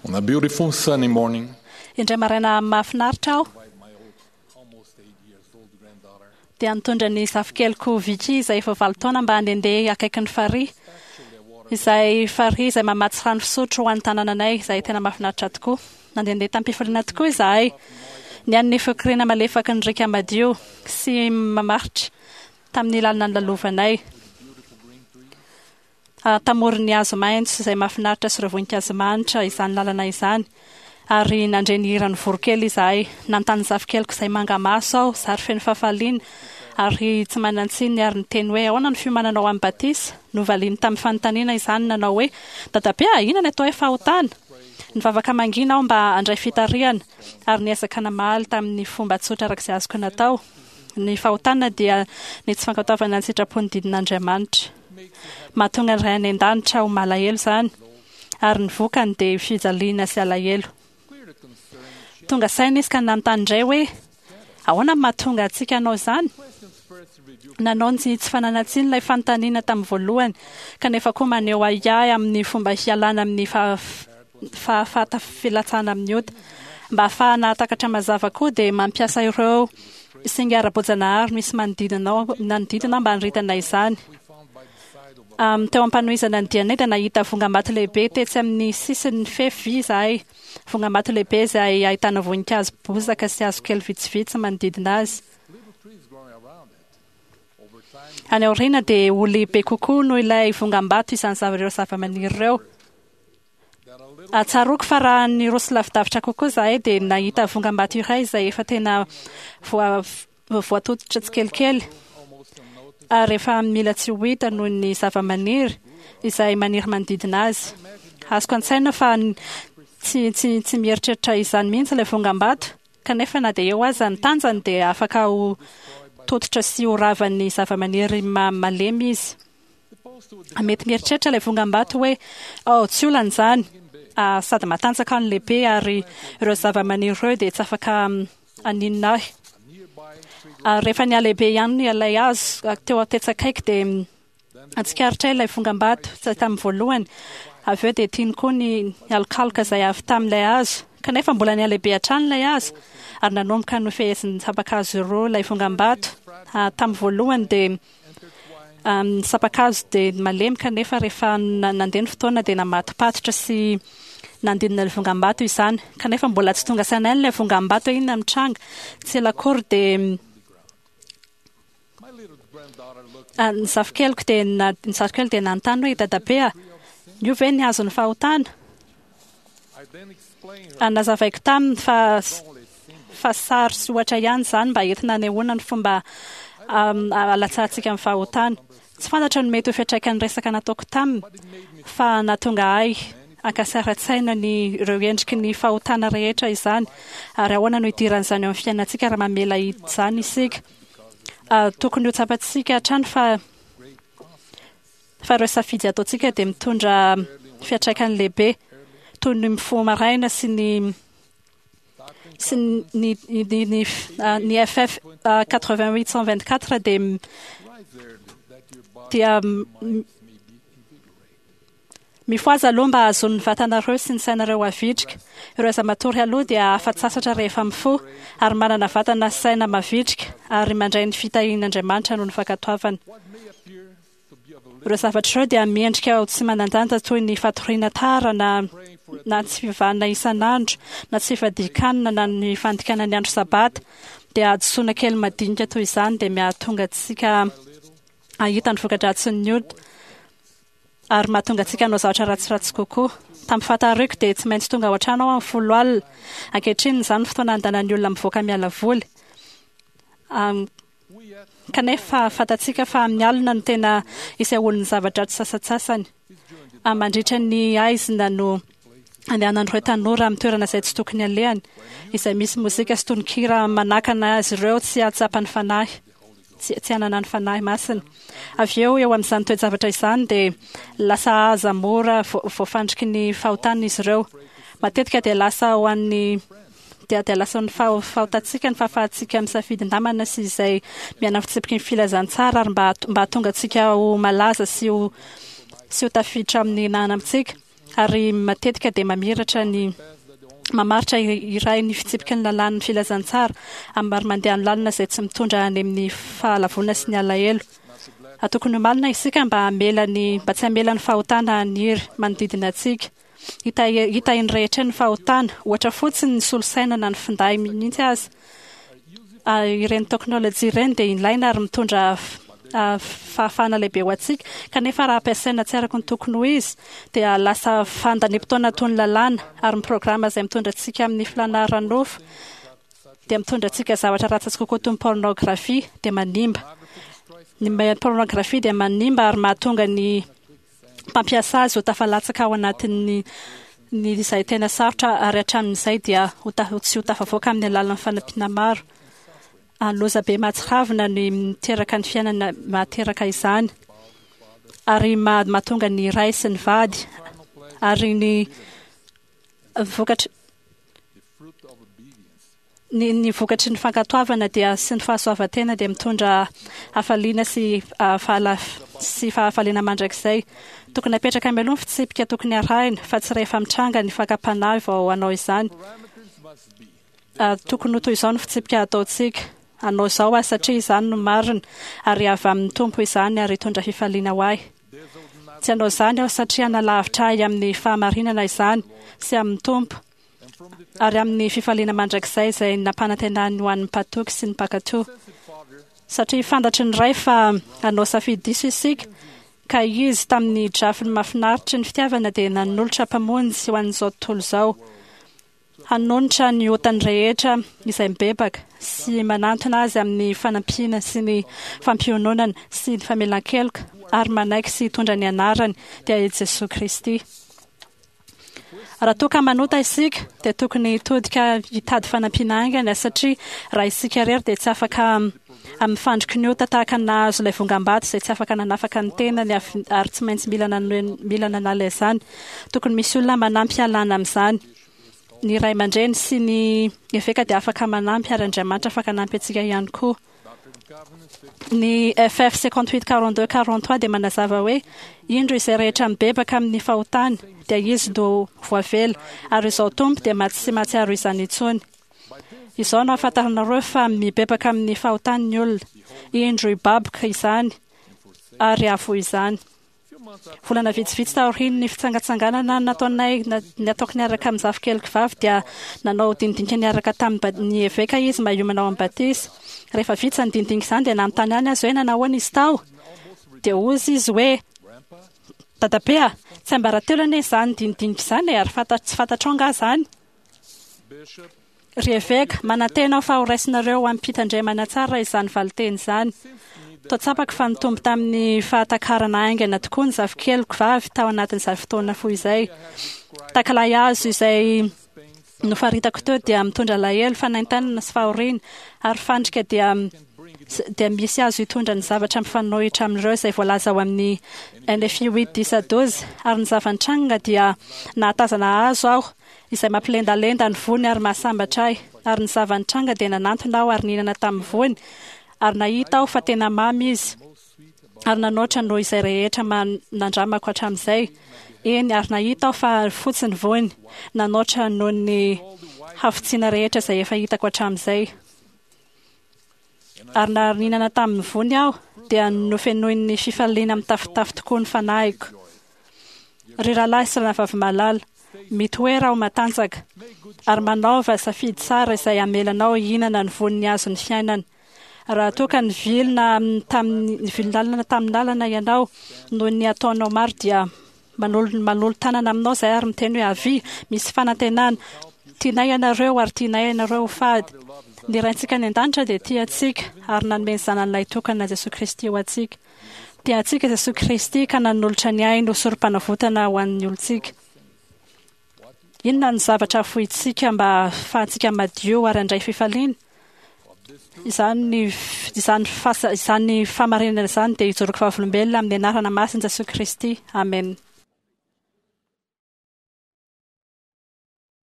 On a beautiful sunny morning, Indray maraina mahafinaritra aho by my old, almost 8 years old granddaughter, dia nitondra ny zafikeliko Vicky izay efa 8 taona mba handehandeha akaikin'ny farihy, izay farihy izay mamatsy rano fisotro ho an'ny tanànanay, izay tena mahafinaritra tokoa. Nandehandeha tamim-pifaliana tokoa izahay. Ny an'ny fikoriana malefaky ny riaka madio sy mamaritra tamin'ny lalana nolalovanay. Tamoron'ny hazo maitso izay mahafinaritra sy ireo voninkazo manitra izany lalana izany. Ary nandre ny hiran'ny voronkely izahay. Nanontany ny zafikeliko izay manga maso aho, zary feno fahafaliana ary tsy manan-tsiny, ary niteny hoe: "Ahoana ny fiomananao amin'ny batisa?" Novaliany tamin'ny fanontaniana izany, nanao hoe: "Dadabe a, inona ny atao hoe fahotana?" Nivavaka mangina aho mba handray fitarihana, ary niezaka namaly tamin'ny fomba tsotra araka izay azoko natao. Ny fahotana dia ny tsy fankatoavana ny sitrapon'ny didin'Andriamanitra. Mahatonga ny Ray any an-danitra ho malahelo izany, ary ny vokany dia fijaliana sy alahelo. Tonga saina izy ka nanontany indray hoe: "Ahoana no mahatonga antsika hanao izany?" Nanao ny tsy fananan-tsiny ilay fanontaniana tamin'ny voalohany, kanefa koa maneho ahiahy amin'ny fomba hialana amin'ny fahafahatafilatsahana amin'ny ota. Mba hahafahana hahatakatra mazava koa dia mampiasa ireo singa ara-boajanahary misy manodidina nanodidina mba hanoritana izany. Teo am-panohizana ny dianay dia nahita vongambato lehibe tetsy amin'ny sisin'ny fefy vy izahay. Vongambato lehibe izay ahitana voninkazo bozaka sy hazo kely vitsivitsy manodidina azy. little trees growing around it. Over time, Any aoriana dia ho lehibe kokoa noho ilay vongambato izany ireo zava-maniry ireo. that a little Tsaroako fa raha niroso lavidavitra kokoa izahay dia nahita vongambato iray izay efa tena voatototra tsikelikely almost unnoticed ary efa mila tsy ho hita noho ny zava-maniry izay maniry manodidina azy. Azoko an-tsaina fa tsy mieritreritra izany mihitsy ilay vongambato, kanefa na dia eo aza ny tanjany dia afaka ho tototra sy ho ravan'ny zava-maniry malemy izy. supposed to Mety mieritreritra ilay vongambato hoe: "Oh, tsy olana izany, sady matanjaka ny lehibe ary ireo zava-maniry ireo dia tsy afaka haninona ahy." a nearby tree Ary rehefa nihalehibe ihany ilay hazo teo tetsy akaiky dia natsikaritra ilay vongambato izay tamin'ny voalohany. Avy eo dia tiany koa ny alokaloka izay avy tamin'ilay hazo, kanefa mbola nihalehibe hatrany ilay hazo ary nanomboka nofehezin'ny sampan-kazo roa ilay vongambato. Tamin'ny voalohany dia ny sampan-kazo dia malemy, kanefa rehefa nandeha ny fotoana dia namatopatotra sy nandidina ilay vongambato izany, kanefa mbola tsy tonga saina ilay vongambato hoe inona mitranga. Tsy ela akory dia My little granddaughter looked ny zafikeliko dia ny zafikeliko dia nanontany hoe: "Dadabe a, io ve ny hazon'ny fahotana?" I then explained her Nazavaiko taminy fa only symbol fa sary sy ohatra ihany izany mba entina hanehoana ny fomba alatsahantsika amin'ny fahotana. Tsy fantatra ny mety ho fiantraikan'ny resaka nataoko taminy, fa nahatonga ahy hankasara-tsaina ny ireo endriky ny fahotana rehetra izany, ary ahoana no hidiran'izany eo amin'ny fiainantsika raha mamela izany isika. Tokony ho tsapantsika hatrany fa ireo safidy ataontsika dia mitondra fiantraikany lehibe, toy ny mifoha maraina sy ny FF 88 124 dia rise early that your body dia may be invigorated. Mifohaza aloha mba hahazoan'ny vatanareo sy ny sainareo havitrika. Ireo izay matory aloha dia afa-tsasatra rehefa mifoha ary manana vatana sy saina mavitrika ary mandray ny fitahian'Andriamanitra noho ny fankatoavana. What may appear to be of a Ireo zavatra ireo dia miendrika ho tsy manan-danja toy ny fatoriana tara na tsy fivavahana isan'andro na tsy fifadian-kanina na ny fandikana ny andro sabata, dia hadisoana kely madinika toy izany dia mahatonga antsika hahita ny voka-dratsin'ny ota ary mahatonga antsika hanao zavatra ratsiratsy kokoa. Tamin'ny fahatariko dia tsy maintsy tonga ao an-trano aho amin'ny 10 alina. Ankehitriny izany fotoana andanan'ny olona mivoaka miala voly. Kanefa fantatsika fa amin'ny alina no tena isehoan'ny zava-dratsy sasantsasany. Mandritra ny haizina no andehanan'ireo tanora amin'ny toerana izay tsy tokony alehany, izay misy mozika sy tononkira manakana azy ireo tsy hahatsapa ny fanahy, tsy hanana ny fanahy masina. Avy eo, eo amin'izany toe-javatra izany dia lasa aza mora voafandriky ny fahotana izy ireo. Matetika dia lasa ho an'ny dia lasa ny fahotantsika ny fahafahantsika misafidy namana sy izay miaina fitsipiky ny filazantsara ary mba hahatonga antsika ho malaza sy ho tafiditra amin'ny namana amintsika. Ary matetika dia mamiratra ny mamaritra iray ny fitsipiky ny lalàn'ny filazantsara ary mandeha amin'ny lalana izay tsy mitondra any amin'ny fahalavoana sy ny alahelo. Tokony ho malina isika mba hamela ny mba tsy hamela ny fahotana haniry manodidina antsika. Hita hita eny rehetra eny ny fahotana, ohatra fotsiny ny solosaina na ny finday mihitsy aza. Ireny teknôlôjia ireny dia ilaina ary mitondra fahafahana lehibe ho antsika, kanefa raha ampiasaina tsy araka ny tokony ho izy dia lasa fandaniam-potoana toy ny lalàna, ary ny programa izay mitondra antsika amin'ny filàna ara-nofo dia mitondra antsika zavatra ratsy kokoa toy ny pornografia dia manimba. Ny pornografia dia manimba ary mahatonga ny mpampiasa azy ho tafalatsaka ao anatin'ny ny izay tena sarotra ary hatramin'izay dia ho tsy ho tafavoaka amin'ny alalan'ny fanampiana maro. Loza be mahatsiravina ny miteraka ny fiainana mahateraka izany ary mahatonga ny ray sy ny vady ary ny vokatry Ny ny vokatry ny fankatoavana dia sy ny fahasoavan-tena dia mitondra hafaliana sy fahala sy fahafaliana mandrakizay. Tokony hapetraka mialoha ny fitsipika tokony harahina fa tsy rehefa mitranga ny fakam-panahy vao hanao izany. Tokony ho toy izao ny fitsipika hataontsika, Hanao izao aho satria izany no marina, ary avy amin'ny Tompo izany ary hitondra fifaliana ho ahy. Tsy hanao izany aho satria hanalavitra ahy amin'ny fahamarinana izany sy amin'ny Tompo. ary amin'ny fifaliana mandrakizay izay nampanantenany ho an'ny mpatoky sy ny mpankatò. Satria fantatry ny Ray fa hanao safidy diso isika, ka Izy, tamin'ny drafiny mahafinaritry ny fitiavana, dia nanolotra Mpamonjy ho an'izao tontolo izao, hanonitra ny otany rehetra izay mibebaka sy manantona Azy amin'ny fanampiana sy ny fampiononana sy ny famelan-keloka ary manaiky sy hitondra ny anarany, dia i Jesoa Kristy. Raha toa ka manota isika dia tokony hitodika hitady fanampiana haingana satria raha isika irery dia tsy afaka amin'ny fandriky ny ota tahaka ny nahazo ilay vongam-bato izay tsy afaka nanafaka ny tenany ary tsy maintsy mila mila nanala izany. Tokony misy olona manampy hialana amin'izany. Ny ray aman-dreny sy ny eveka dia afaka manampy ary Andriamanitra afaka hanampy antsika ihany koa. Ny FF 58 42 43 dia manazava hoe, Indro izay rehetra mibebaka amin'ny fahotany, dia izy no voavela, ary izao Tompo dia tsy mahatsiaro izany intsony. Izao no ahafantaranareo fa mibebaka amin'ny fahotany ny olona, indro hibaboka izany ary hahafoy izany. Volana vitsivitsy taorian'ny fitsangatsanganana nataonay nataoko niaraka amin'ny zafikeliko vavy dia nanao dinidinika niaraka tamin'ny eveka izy mba hiomana ao amin'ny batisa. Rehefa vita izany dinidinika izany dia nanontany ahy azy hoe nanahoana izy tao. Dia hozy izy hoe, Dadabe a, tsiambaratelo anie izany dinidinika izany e, ary tsy fantatrao angaha izany? Ry eveka, manantena aho fa horaisinareo amim-pitandremana tsara izany valinteny izany. Toa tsapako fa nitombo tamin'ny fahatakarana haingana tokoa ny zafikeliko vavy tao anatin'izay fotoana fohy izay. Takalahy hazo izay nofaritako teo dia mitondra alahelo, fanaintainana sy fahoriana, ary fandrika dia dia misy azo hitondra ny zavatra mifanohitra amin'ireo izay voalaza ao amin'ny NFI 8 10 à 12. Ary ny zava-nitranga dia nahatazana hazo aho izay mampilendalenda ny voany ary mahasambatra ahy. Ary ny zava-nitranga dia nanantona aho ary nihinana tamin'ny voany, ary nahita aho fa tena mamy izy, ary nanoatra noho izay rehetra nandramako hatramin'izay. Eny, ary nahita aho fa fotsy ny voany, nanoatra noho ny hafotsiana rehetra izay efa hitako hatramin'izay. Ary na nihinana tamin'ny voany aho, dia nofenoin'ny fifaliana mitafotafo tokoa ny fanahiko. Ry rahalahy sy rahavavy malala, mitoera ho matanjaka, ary manaova safidy tsara izay hamela anao hihinana ny voan'ny hazon'ny fiainana. Raha toa ka nivilina tamin'ny nivilin-dalana tamin'ny lalana ianao noho ny ataonao maro dia manolo manolo-tanana aminao izahay ary miteny hoe avia, misy fanantenana. Tianay ianareo ary tianay ianareo ho fady. Ny Raintsika any an-danitra dia tia antsika ary nanome ny Zanany Lahitokana Jesoa Kristy ho antsika. Tia antsika Jesoa Kristy ka nanolotra ny ainy ho sorompanavotana ho an'ny olontsika. Inona no zavatra afointsika mba hahafahantsika madio ary handray fifaliana? Izany, izany, izany fahamarinana izany dia ijoroako vavolombelona amin'ny anarana masin'i Jesoa Kristy. Amena.